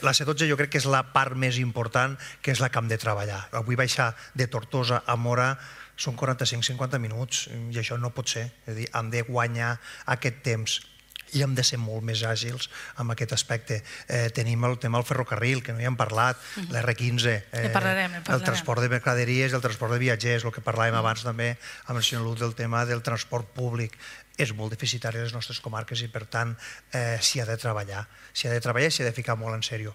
La C12 jo crec que és la part més important, que és la que hem de treballar. Avui baixar de Tortosa a Móra són 45-50 minuts i això no pot ser. És a dir, hem de guanyar aquest temps i hem de ser molt més àgils en aquest aspecte. Tenim el tema del ferrocarril, que no hi hem parlat, l'R15, el transport de mercaderies i el transport de viatgers, el que parlàvem abans també amb el senyor Luz del tema del transport públic. És molt deficitari a les nostres comarques i, per tant, s'hi ha de treballar. S'hi ha de treballar i s'hi ha de ficar molt en sèrio.